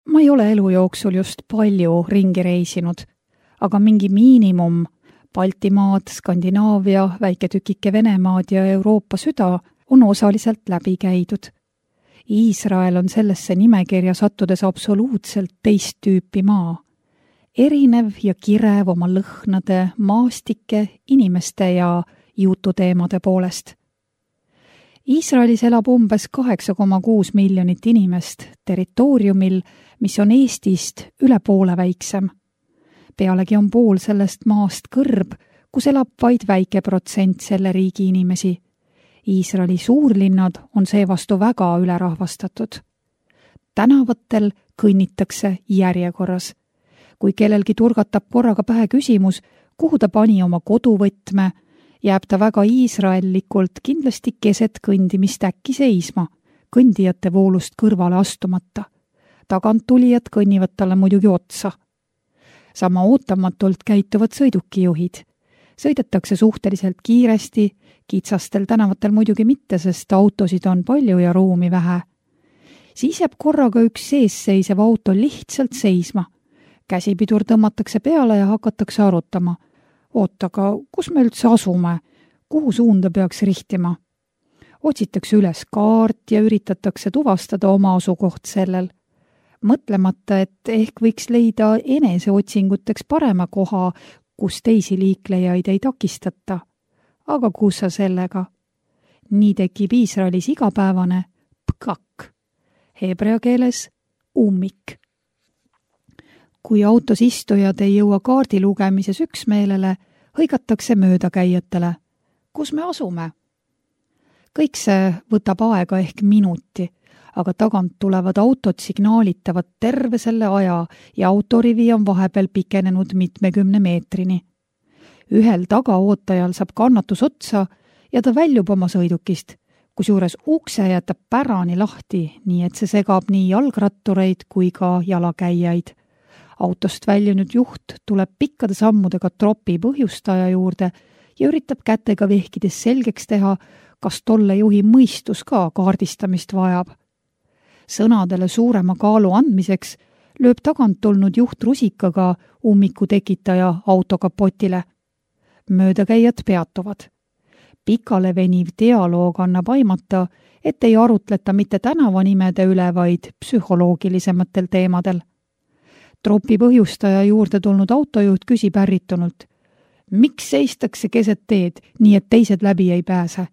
Ma ei ole elu jooksul just palju ringi reisinud, aga mingi miinimum Baltimaad, Skandinaavia, väike tükike Venemaad ja Euroopa süda on osaliselt läbi käidud. Iisrael on sellesse nimekirja sattudes absoluutselt teist tüüpi maa. Erinev ja kirev oma lõhnade, maastike, inimeste ja jututeemade poolest. Iisraelis elab umbes 8,6 miljonit inimest territooriumil, mis on Eestist üle poole väiksem. Pealegi on pool sellest maast kõrb, kus elab vaid väike protsent selle riigi inimesi. Iisraeli suurlinnad on seevastu väga ülerahvastatud. Tänavatel kõnnitakse järjekorras. Kui kellelgi turgatab korraga pähe küsimus, kuhu ta pani oma koduvõtme, jääb ta väga iisraellikult kindlasti keset kõndimist äkki seisma, kõndijate voolust kõrvale astumata. Taganttulijad kõnnivad talle muidugi otsa. Sama ootamatult käituvad sõidukijuhid. Sõidetakse suhteliselt kiiresti, kitsastel tänavatel muidugi mitte, sest autosid on palju ja ruumi vähe. Siis jääb korraga üks seesseisev auto lihtsalt seisma. Käsipidur tõmmatakse peale ja hakatakse arutama. Aga kus me üldse asume? Kuhu suunda peaks rihtima? Otsitakse üles kaart ja üritatakse tuvastada oma asukoht sellel. Mõtlemata, et ehk võiks leida eneseotsinguteks parema koha, kus teisi liiklejaid ei takistata. Aga kus sa sellega? Nii tekib Iisraelis igapäevane pkak, heebrea keeles ummik. Kui autos istujad ei jõua kaardi lugemises üksmeelele, hõigatakse möödakäijatele. Kus me asume? Kõik see võtab aega ehk minuti, aga tagant tulevad autod signaalitavad terve selle aja ja autorivi on vahepeal pikenenud mitmekümne meetrini. Ühel tagaootajal saab kannatus otsa ja ta väljub oma sõidukist, kusjuures ukse jätab pärani lahti, nii et see segab nii jalgrattureid kui ka jalakäijaid. Autost väljunud juht tuleb pikkade sammudega tropi põhjustaja juurde ja üritab kätega vehkides selgeks teha, kas tolle juhi mõistus ka kaardistamist vajab. Sõnadele suurema kaalu andmiseks lööb tagant tulnud juht rusikaga ummiku tekitaja autokapotile. Möödakäijad peatuvad. Pikale veniv dialoog annab aimata, et ei arutleta mitte tänavanimede üle, vaid psühholoogilisematel teemadel. Tropi põhjustaja juurde tulnud autojuht küsib ärritunult. Miks seistakse keset teed, nii et teised läbi ei pääse?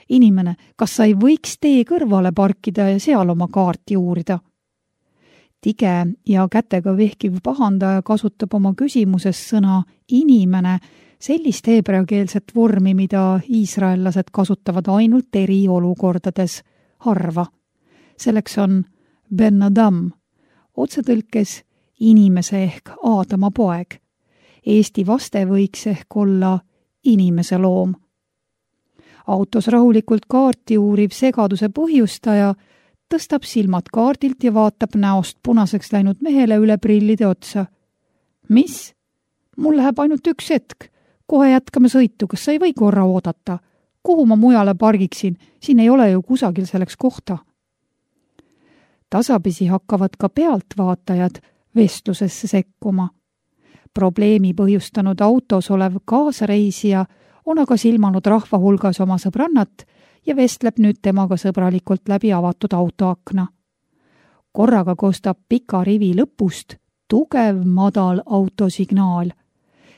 Inimene, kas sa ei võiks tee kõrvale parkida ja seal oma kaarti uurida? Tige ja kätega vehkiv pahandaja kasutab oma küsimuses sõna inimene, sellist heebreakeelset vormi, mida iisraellased kasutavad ainult eriolukordades, harva. Selleks on ben adam, otsetõlkes inimese ehk Aadama poeg. Eesti vaste võiks ehk olla inimese loom. Autos rahulikult kaarti uuriv segaduse põhjustaja tõstab silmad kaardilt ja vaatab näost punaseks läinud mehele üle prillide otsa. Mis? Mul läheb ainult üks hetk. Kohe jätkame sõitu, kas sa ei või korra oodata? Kuhu ma mujale pargiksin? Siin ei ole ju kusagil selleks kohta. Tasapisi hakkavad ka pealtvaatajad vestlusesse sekkuma. Probleemi põhjustanud autos olev kaasareisija on aga silmanud rahva hulgas oma sõbrannat ja vestleb nüüd temaga sõbralikult läbi avatud autoakna. Korraga kostab pika rivi lõpust tugev madal autosignaal.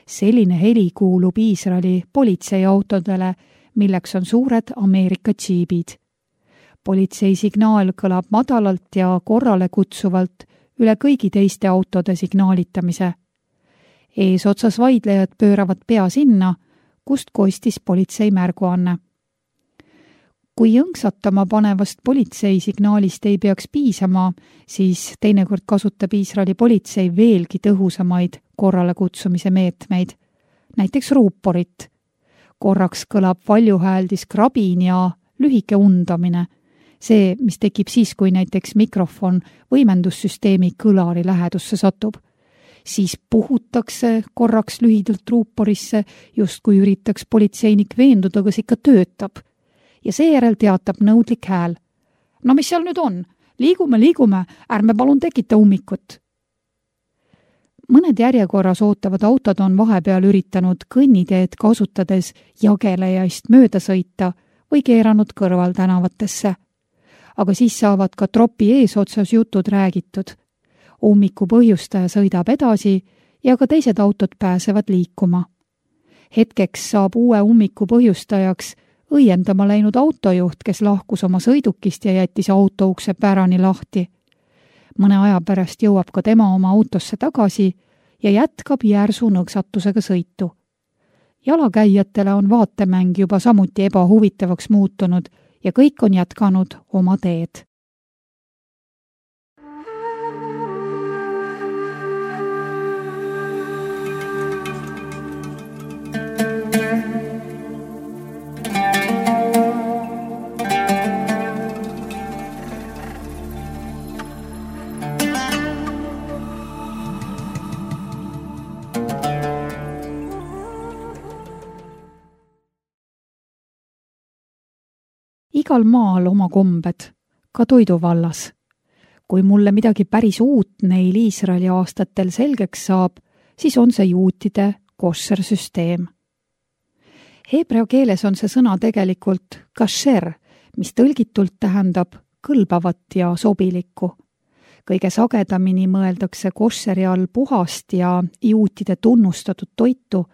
Selline heli kuulub Iisraeli politseiautodele, milleks on suured Ameerika džiibid. Politseisignaal kõlab madalalt ja korrale kutsuvalt üle kõigi teiste autode signaalitamise. Eesotsas vaidlejad pööravad pea sinna, kust kostis politsei märguanne. Kui jõnksatama panevast politseisignaalist ei peaks piisama, siis teinekord kasutab Iisraeli politsei veelgi tõhusamaid korrale kutsumise meetmeid, näiteks ruuporit. Korraks kõlab valjuhääldis krabin ja lühike undamine, see, mis tekib siis, kui näiteks mikrofon võimendussüsteemi kõlari lähedusse satub. Siis puhutakse korraks lühidalt ruuporisse, just kui üritaks politseinik veenduda, kas ikka töötab. Ja seejärel teatab nõudlik hääl. No mis seal nüüd on? liigume, ärme palun tekita ummikut. Mõned järjekorras ootavad autod on vahepeal üritanud kõnniteed kasutades jagelejaist mööda sõita või keeranud kõrvaltänavatesse. Aga siis saavad ka tropi eesotsas jutud räägitud. Ummiku põhjustaja sõidab edasi ja ka teised autod pääsevad liikuma. Hetkeks saab uue ummiku põhjustajaks õiendama läinud autojuht, kes lahkus oma sõidukist ja jättis autoukse pärani lahti. Mõne aja pärast jõuab ka tema oma autosse tagasi ja jätkab järsu nõksatusega sõitu. Jalakäijatele on vaatemäng juba samuti ebahuvitavaks muutunud ja kõik on jätkanud oma teed. Igal maal oma kombed, ka toidu vallas. Kui mulle midagi päris uut neil Iisraeli aastatel selgeks saab, siis on see juutide koššer-süsteem. Heebrea keeles on see sõna tegelikult kasher, mis tõlgitult tähendab kõlbavat ja sobilikku. Kõige sagedamini mõeldakse koššeri all puhast ja juutide tunnustatud toitu,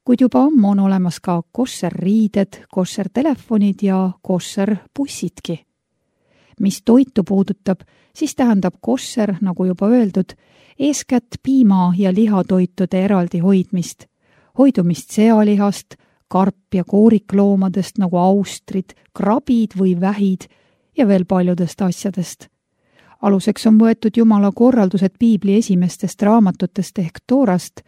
kuid juba ammu on olemas ka koššer-riided, koššer-telefonid ja koššer-bussidki. Mis toitu puudutab, siis tähendab koššer, nagu juba öeldud, eeskätt piima- ja lihatoitude eraldi hoidmist, hoidumist sealihast, karp- ja koorikloomadest nagu austrid, krabid või vähid ja veel paljudest asjadest. Aluseks on võetud Jumala korraldused Piibli esimestest raamatutest ehk Toorast,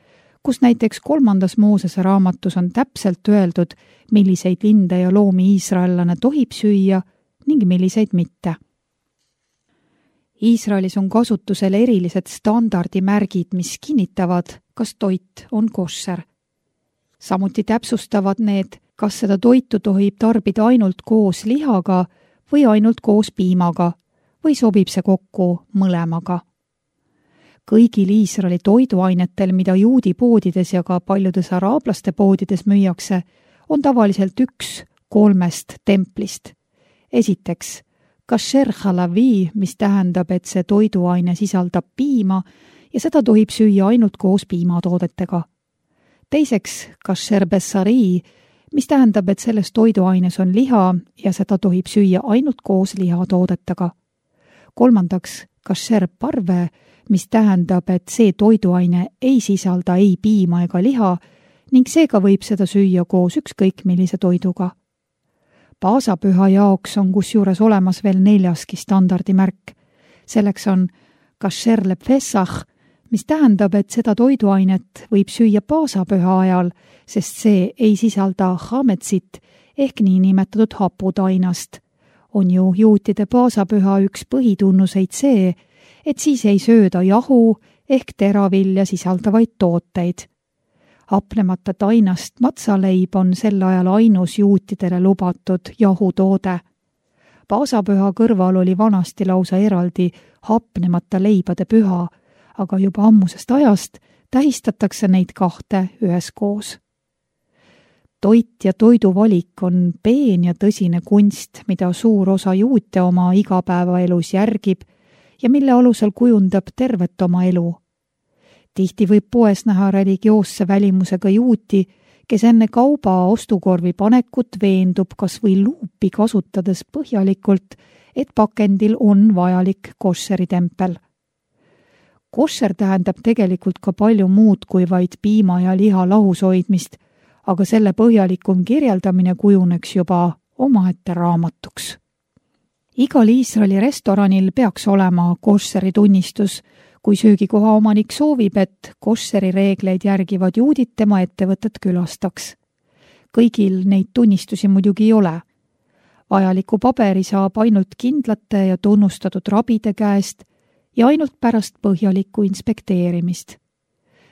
kus näiteks 3. Moosese raamatus on täpselt öeldud, milliseid linde ja loomi iisraellane tohib süüa ning milliseid mitte. Iisraelis on kasutusel erilised standardimärgid, mis kinnitavad, kas toit on koššer. Samuti täpsustavad need, kas seda toitu tohib tarbida ainult koos lihaga või ainult koos piimaga või sobib see kokku mõlemaga. Kõigil Iisraeli toiduainetel, mida juudi poodides ja ka paljudes araablaste poodides müüakse, on tavaliselt üks 3 templist. Esiteks, kasher halavi, mis tähendab, et see toiduaine sisaldab piima ja seda tohib süüa ainult koos piimatoodetega. Teiseks, kasher bessari, mis tähendab, et selles toiduaines on liha ja seda tohib süüa ainult koos lihatoodetega. Kolmandaks, kasher parve, mis tähendab, et see toiduaine ei sisalda ei piima ega liha ning seega võib seda süüa koos ükskõik millise toiduga. Paasapüha jaoks on kusjuures olemas veel 4. standardimärk. Selleks on kasher lepessach, mis tähendab, et seda toiduainet võib süüa paasapüha ajal, sest see ei sisalda hametsit ehk niinimetatud haputainast. On ju juutide paasapüha üks põhitunnuseid see, et siis ei sööda jahu ehk teravilja sisaldavaid tooteid. Hapnemata tainast matsaleib on sel ajal ainus juutidele lubatud jahutoode. Paasapüha kõrval oli vanasti lausa eraldi hapnemata leibade püha, aga juba ammusest ajast tähistatakse neid 2 üheskoos. Toit ja toiduvalik on peen ja tõsine kunst, mida suur osa juute oma igapäevaelus järgib ja mille alusel kujundab tervet oma elu. Tihti võib poes näha religioosse välimusega juuti, kes enne kauba ostukorvi panekut veendub kas või luupi kasutades põhjalikult, et pakendil on vajalik koššeritempel. Koššer tähendab tegelikult ka palju muud kui vaid piima ja liha lahus hoidmist, aga selle põhjalikum kirjeldamine kujuneks juba omaette raamatuks. Igal Iisraeli restoranil peaks olema koššeri tunnistus, kui söögikoha omanik soovib, et koššeri reegleid järgivad juudid tema ettevõtet külastaks. Kõigil neid tunnistusi muidugi ei ole. Vajaliku paberi saab ainult kindlate ja tunnustatud rabide käest ja ainult pärast põhjalikku inspekteerimist.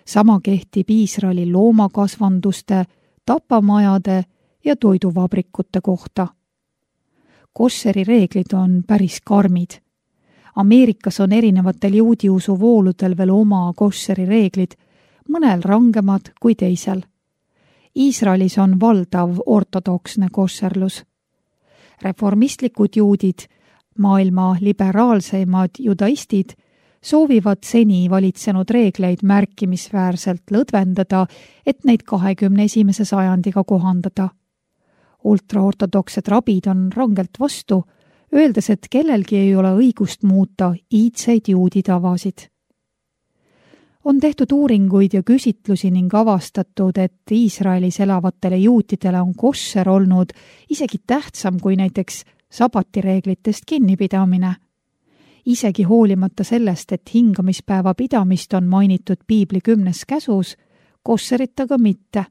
Sama kehtib Iisraeli loomakasvanduste, tapamajade ja toiduvabrikute kohta. Koššeri reeglid on päris karmid. Ameerikas on erinevatel juudiusu vooludel veel oma koššeri reeglid, mõnel rangemad kui teisel. Iisraelis on valdav ortodoksne koššerlus. Reformistlikud juudid, maailma liberaalseimad judaistid, soovivad seni valitsenud reegleid märkimisväärselt lõdvendada, et neid 21. sajandiga kohandada. Ultraortodoksed rabid on rangelt vastu, öeldes, et kellelgi ei ole õigust muuta iidseid juudi tavasid. On tehtud uuringuid ja küsitlusi ning avastatud, et Iisraelis elavatele juutidele on koššer olnud isegi tähtsam kui näiteks sabatireeglitest kinnipidamine. Isegi hoolimata sellest, et hingamispäeva pidamist on mainitud Piibli 10. käsus, koššerit aga mitte.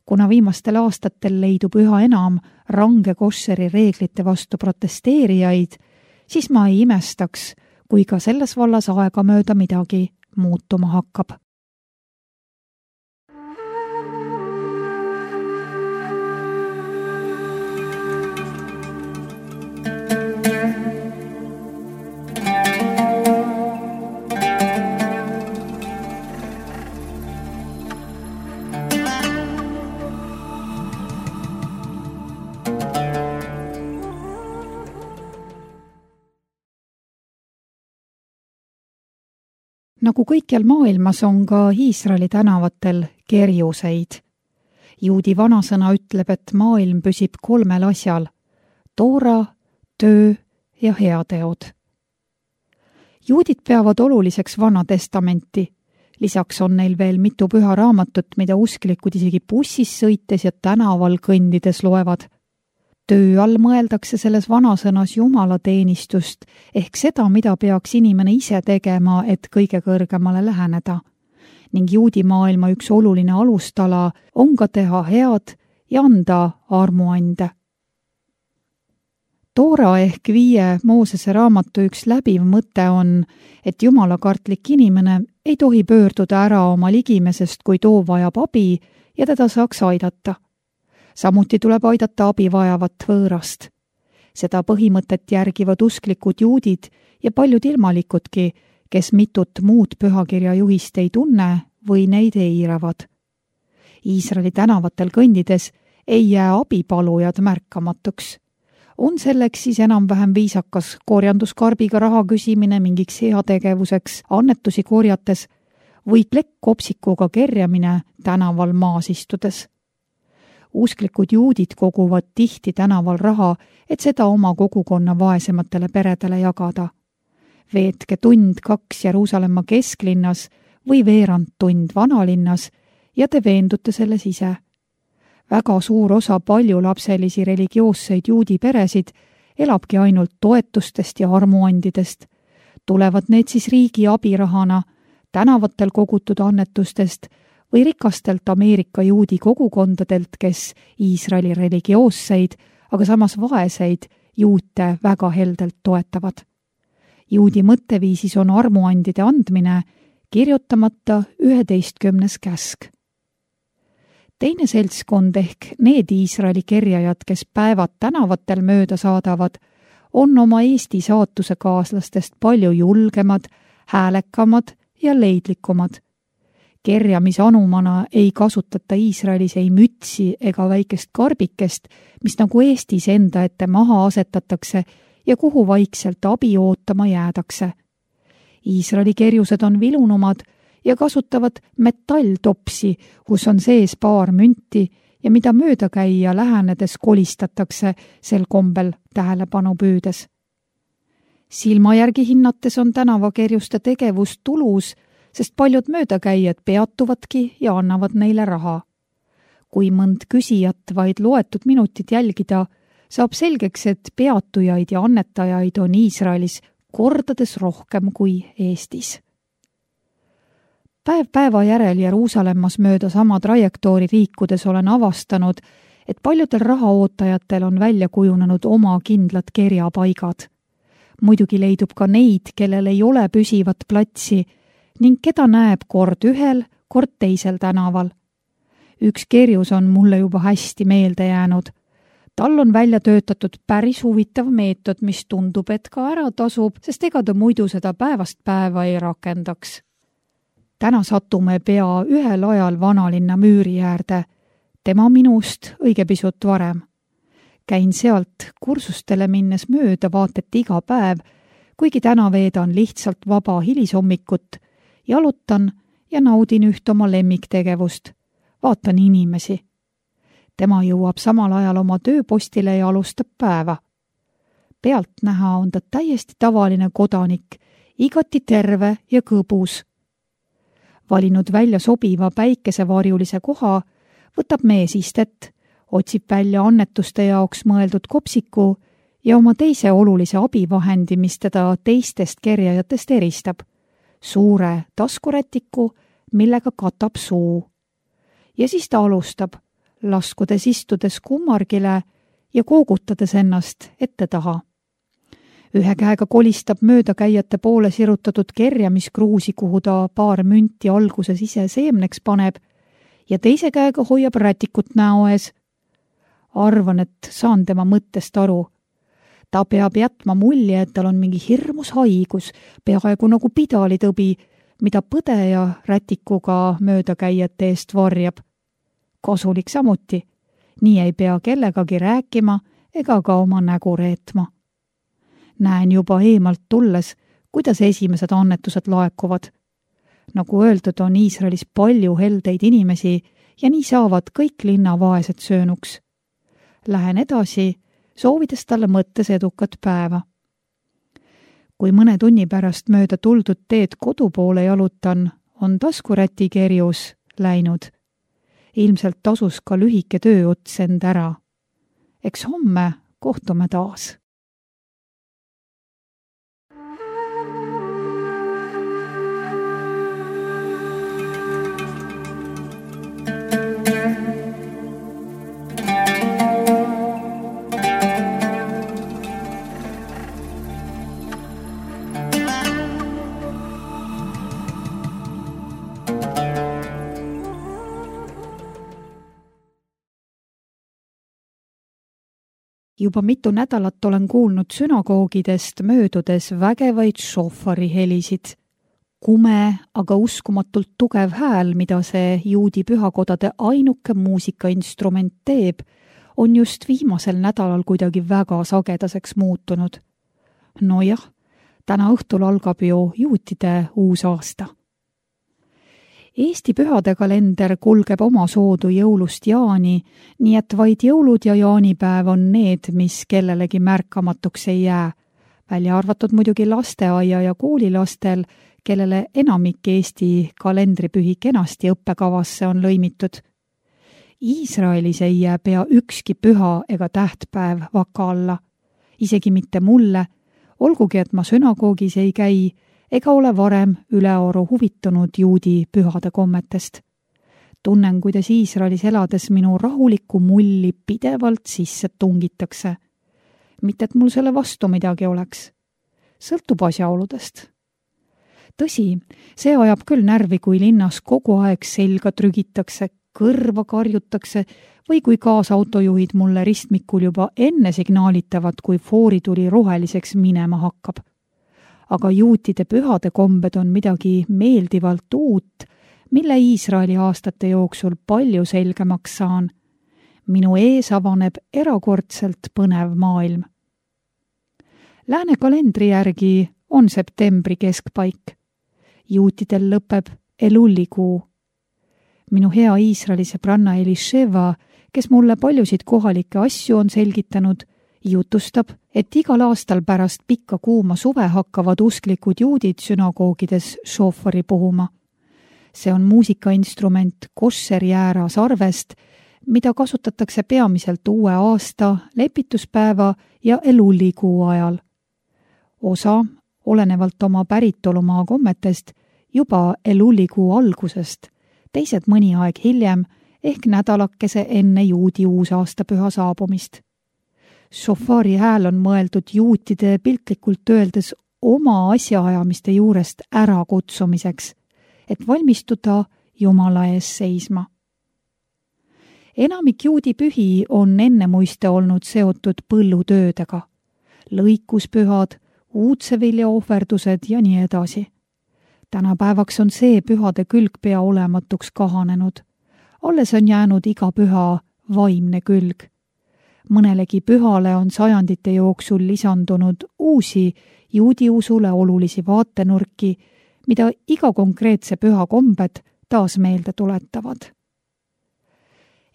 Kuna viimastel aastatel leidub üha enam range koššeri reeglite vastu protesteerijaid, siis ma ei imestaks, kui ka selles vallas aegamööda midagi muutuma hakkab. Nagu kõikjal maailmas on ka Iisraeli tänavatel kerjuseid. Juudi vanasõna ütleb, et maailm püsib 3 asjal: toora, töö ja heateod. Juudid peavad oluliseks Vana Testamenti. Lisaks on neil veel mitu püha raamatut, mida usklikud isegi bussis sõites ja tänaval kõndides loevad. Töö all mõeldakse selles vanasõnas jumalateenistust ehk seda, mida peaks inimene ise tegema, et kõige kõrgemale läheneda. Ning juudi maailma üks oluline alustala on ka teha head ja anda armuande. Toora ehk 5 Moosese raamatu üks läbiv mõte on, et jumalakartlik inimene ei tohi pöörduda ära oma ligimesest, kui too vajab abi ja teda saaks aidata. Samuti tuleb aidata abi vajavat võõrast. Seda põhimõtet järgivad usklikud juudid ja paljud ilmalikudki, kes mitut muud pühakirja juhist ei tunne või neid eiravad. Iisraeli tänavatel kõndides ei jää abipalujad märkamatuks. On selleks siis enam-vähem viisakas korjanduskarbiga raha küsimine mingiks heategevuseks annetusi korjates või plekkkopsikuga kerjamine tänaval maas istudes. Usklikud juudid koguvad tihti tänaval raha, et seda oma kogukonna vaesematele peredele jagada. Veetke 1-2 tund Jeruusalemma kesklinnas või veerand tund vanalinnas ja te veendute selles ise. Väga suur osa paljulapselisi religioosseid juudi peresid elabki ainult toetustest ja armuandidest. Tulevad need siis riigi abirahana, tänavatel kogutud annetustest või rikastelt Ameerika juudi kogukondadelt, kes Iisraeli religioosseid, aga samas vaeseid juute väga heldelt toetavad. Juudi mõtteviisis on armuandide andmine kirjutamata 11. käsk. Teine seltskond ehk need Iisraeli kerjajad, kes päevad tänavatel mööda saadavad, on oma Eesti saatusekaaslastest palju julgemad, häälekamad ja leidlikumad. Kerjamisanumana ei kasutata Iisraelis ei mütsi ega väikest karbikest, mis nagu Eestis enda ette maha asetatakse ja kuhu vaikselt abi ootama jäädakse. Iisraeli kerjused on vilunumad ja kasutavad metalltopsi, kus on sees paar münti ja mida möödakäija lähenedes kolistatakse sel kombel tähelepanu püüdes. Silma järgi hinnates on tänavakerjuste tegevus tulus, sest paljud möödakäijad peatuvadki ja annavad neile raha. Kui mõnd küsijat vaid loetud minutid jälgida, saab selgeks, et peatujaid ja annetajaid on Iisraelis kordades rohkem kui Eestis. Päev päeva järel Jeruusalemmas mööda sama trajektoori liikudes olen avastanud, et paljudel rahaootajatel on välja kujunenud oma kindlad kerjapaigad. Muidugi leidub ka neid, kellel ei ole püsivat platsi ning keda näeb kord ühel, kord teisel tänaval. Üks kerjus on mulle juba hästi meelde jäänud. Tal on välja töötatud päris huvitav meetod, mis tundub, et ka ära tasub, sest ega ta muidu seda päevast päeva ei rakendaks. Täna satume pea ühel ajal vanalinna müüri äärde, tema minust õige pisut varem. Käin sealt kursustele minnes mööda vaat et iga päev, kuigi täna veedan lihtsalt vaba hilisommikut, jalutan ja naudin üht oma lemmiktegevust. Vaatan inimesi. Tema jõuab samal ajal oma tööpostile ja alustab päeva. Pealt näha on ta täiesti tavaline kodanik, igati terve ja kõbus. Valinud välja sobiva päikesevarjulise koha, võtab mees istet, otsib välja annetuste jaoks mõeldud kopsiku ja oma teise olulise abivahendi, mis teda teistest kerjajatest eristab. Suure taskurätiku, millega katab suu. Ja siis ta alustab, laskudes istudes kummargile ja koogutades ennast ette taha. Ühe käega kolistab möödakäijate poole sirutatud kerjamiskruusi, kuhu ta paar münti alguses ise seemneks paneb, ja teise käega hoiab rätikut näo ees. Arvan, et saan tema mõttest aru. Ta peab jätma mulje, et tal on mingi hirmus haigus, peaaegu nagu pidalitõbi, mida põdeja rätikuga möödakäijate eest varjab. Kasulik samuti. Nii ei pea kellegagi rääkima ega ka oma nägu reetma. Näen juba eemalt tulles, kuidas esimesed annetused laekuvad. Nagu öeldud, on Iisraelis palju heldeid inimesi ja nii saavad kõik linna vaesed söönuks. Lähen edasi, soovides talle mõttes edukat päeva. Kui mõne tunni pärast mööda tuldud teed kodu poole jalutan, on taskuräti kerjus läinud. Ilmselt tasus ka lühike tööots end ära. Eks homme kohtume taas. Juba mitu nädalat olen kuulnud sünagoogidest möödudes vägevaid šofari helisid. Kume, aga uskumatult tugev hääl, mida see juudi pühakodade ainuke muusikainstrument teeb, on just viimasel nädalal kuidagi väga sagedaseks muutunud. Nojah, täna õhtul algab ju juutide uus aasta. Eesti pühade kalender kulgeb oma soodu jõulust jaani, nii et vaid jõulud ja jaanipäev on need, mis kellelegi märkamatuks ei jää, välja arvatud muidugi lasteaia ja koolilastel, kellele enamik Eesti kalendripühi kenasti õppekavasse on lõimitud. Iisraelis ei jää pea ükski püha ega tähtpäev vaka alla, isegi mitte mulle, olgugi et ma sünagoogis ei käi, ega ole varem ülearu huvitunud juudi pühade kommetest. Tunnen, kuidas Iisraelis elades minu rahulikku mulli pidevalt sisse tungitakse. Mitte, et mul selle vastu midagi oleks. Sõltub asjaoludest. Tõsi, see ajab küll närvi, kui linnas kogu aeg selga trügitakse, kõrva karjutakse või kui kaasautojuhid mulle ristmikul juba enne signaalitavad, kui foorituli roheliseks minema hakkab. Aga juutide pühade kombed on midagi meeldivalt uut, mille Iisraeli aastate jooksul palju selgemaks saan. Minu ees avaneb erakordselt põnev maailm. Lääne kalendri järgi on septembri keskpaik. Juutidel lõpeb Elullikuu. Minu hea Iisraeli sõbranna Elisheva, kes mulle paljusid kohalikke asju on selgitanud, jutustab, et igal aastal pärast pikka kuuma suve hakkavad usklikud juudid sünagoogides šofari puhuma. See on muusikainstrument koššerjäära sarvest, mida kasutatakse peamiselt uue aasta, lepituspäeva ja Elullikuu ajal. Osa, olenevalt oma päritolumaa kommetest, juba Elullikuu algusest, teised mõni aeg hiljem ehk nädalakese enne juudi uusaastapüha saabumist. Šofari hääl on mõeldud juutide piltlikult öeldes oma asjaajamiste juurest ära kutsumiseks, et valmistuda Jumala ees seisma. Enamik juudi pühi on ennemuiste olnud seotud põllutöödega. Lõikuspühad, uudsevilja ohverdused ja nii edasi. Tänapäevaks on see pühade külg pea olematuks kahanenud. Alles on jäänud iga püha vaimne külg. Mõnelegi pühale on sajandite jooksul lisandunud uusi juudi usule olulisi vaatenurki, mida iga konkreetse püha kombed taas meelde tuletavad.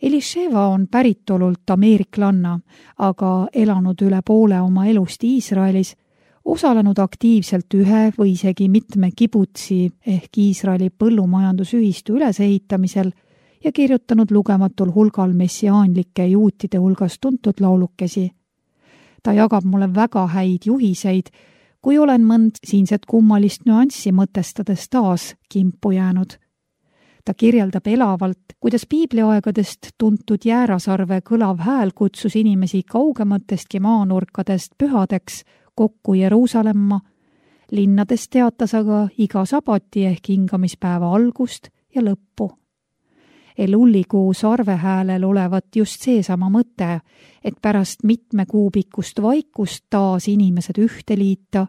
Elisheva on päritolult ameeriklanna, aga elanud üle poole oma elust Iisraelis, osalenud aktiivselt ühe või isegi mitme kibutsi ehk Iisraeli põllumajandusühistu ülesehitamisel ja kirjutanud lugematul hulgal messiaanlike juutide hulgas tuntud laulukesi. Ta jagab mulle väga häid juhiseid, kui olen mõnd siinset kummalist nüanssi mõtestades taas kimpu jäänud. Ta kirjeldab elavalt, kuidas piibliaegadest tuntud Jäärasarve kõlav hääl kutsus inimesi kaugematestki maanurkadest pühadeks kokku Jeruusalemma, linnades teatas aga iga sabati ehk hingamispäeva algust ja lõppu. Elullikuu sarvehäälel olevat just seesama mõte, et pärast mitme kuu pikkust vaikust taas inimesed ühte liita,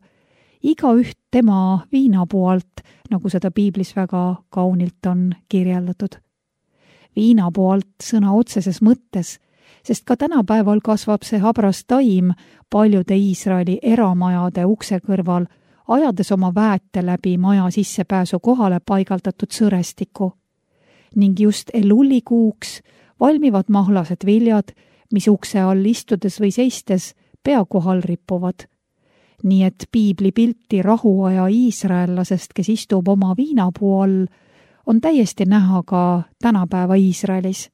igaüht tema viinapuu alt, nagu seda piiblis väga kaunilt on kirjeldatud. Viinapuu alt sõna otseses mõttes, sest ka tänapäeval kasvab see habras taim paljude Iisraeli eramajade ukse kõrval, ajades oma väete läbi maja sissepääsu kohale paigaldatud sõrestiku. Ning just elullikuuks valmivad mahlased viljad, mis ukse all istudes või seistes pea kohal rippuvad. Nii et piibli pilti rahuaja iisraellasest, kes istub oma viinapuu all, on täiesti näha ka tänapäeva Iisraelis.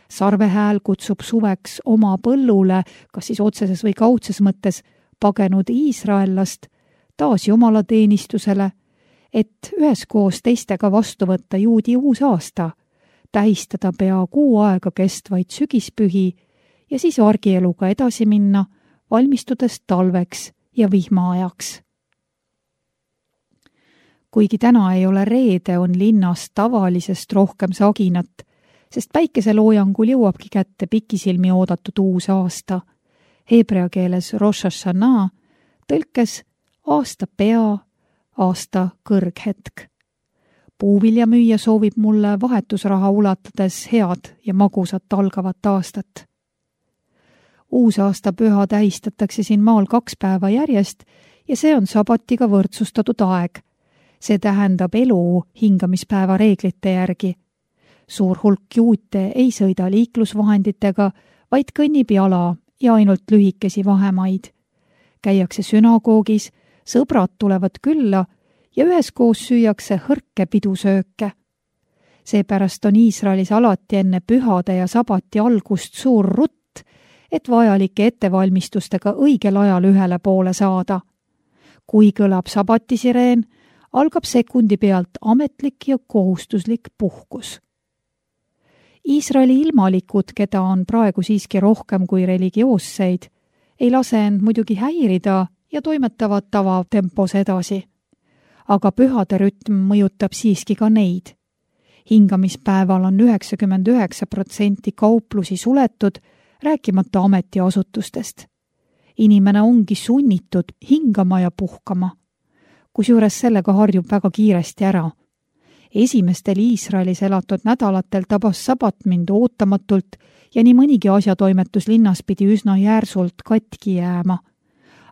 Sarvehääl kutsub suveks oma põllule, kas siis otseses või kaudses mõttes, pagenud iisraellast taas jumalateenistusele, et üheskoos teistega vastu võtta juudi uus aasta, tähistada pea kuu aega kestvaid sügispühi ja siis argieluga edasi minna, valmistudes talveks ja vihmaajaks. Kuigi täna ei ole reede, on linnas tavalisest rohkem saginat, sest päikeseloojangul jõuabki kätte pikisilmi oodatud uus aasta. Heebrea keeles Rosh Hashanah, tõlkes aasta pea, aasta kõrghetk. Puuviljamüüja soovib mulle vahetusraha ulatades head ja magusat algavat aastat. Uusaasta püha tähistatakse siin maal 2 päeva järjest ja see on sabatiga võrdsustatud aeg. See tähendab elu hingamispäeva reeglite järgi. Suur hulk juute ei sõida liiklusvahenditega, vaid kõnnib jala ja ainult lühikesi vahemaid. Käiakse sünagoogis, sõbrad tulevad külla ja üheskoos süüakse hõrke pidusööke. Seepärast on Iisraelis alati enne pühade ja sabati algust suur rutt, et vajalike ettevalmistustega õigel ajal ühele poole saada. Kui kõlab sabatisireen, algab sekundi pealt ametlik ja kohustuslik puhkus. Iisraeli ilmalikud, keda on praegu siiski rohkem kui religioosseid, ei lase end muidugi häirida ja toimetavad tavatempos edasi. Aga pühade rütm mõjutab siiski ka neid. Hingamispäeval on 99% kauplusi suletud, rääkimata ametiasutustest. Inimene ongi sunnitud hingama ja puhkama. Kusjuures sellega harjub väga kiiresti ära. Esimestel Iisraelis elatud nädalatel tabas sabat mind ootamatult ja nii mõnigi asjatoimetus linnas pidi üsna järsult katki jääma.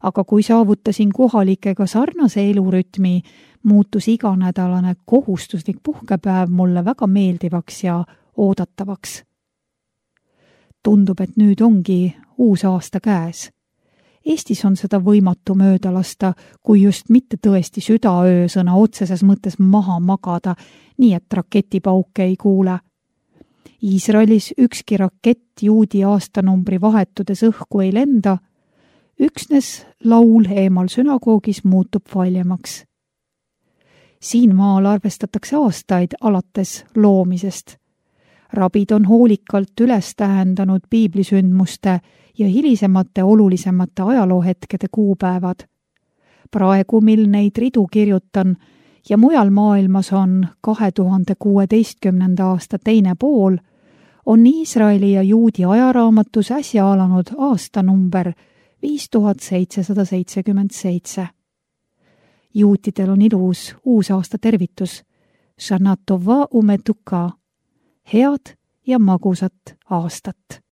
Aga kui saavutasin kohalikega sarnase elurütmi, muutus iganädalane kohustuslik puhkepäev mulle väga meeldivaks ja oodatavaks. Tundub, et nüüd ongi uus aasta käes. Eestis on seda võimatu mööda lasta, kui just mitte tõesti südaöö sõna otseses mõttes maha magada, nii et raketipauke ei kuule. Iisraelis ükski rakett juudi aastanumbri vahetudes õhku ei lenda, üksnes laul eemal sünagoogis muutub valjemaks. Siin maal arvestatakse aastaid alates loomisest. Rabid on hoolikalt üles tähendanud piiblisündmuste ja hilisemate olulisemate ajaloohetkede kuupäevad. Praegu, mil neid ridu kirjutan ja mujal maailmas on 2016. aasta teine pool, on Iisraeli ja juudi ajaraamatus äsja alanud aastanumber 5777. Juutidel on ilus uusaasta tervitus Shana Tova umetuka, head ja magusat aastat.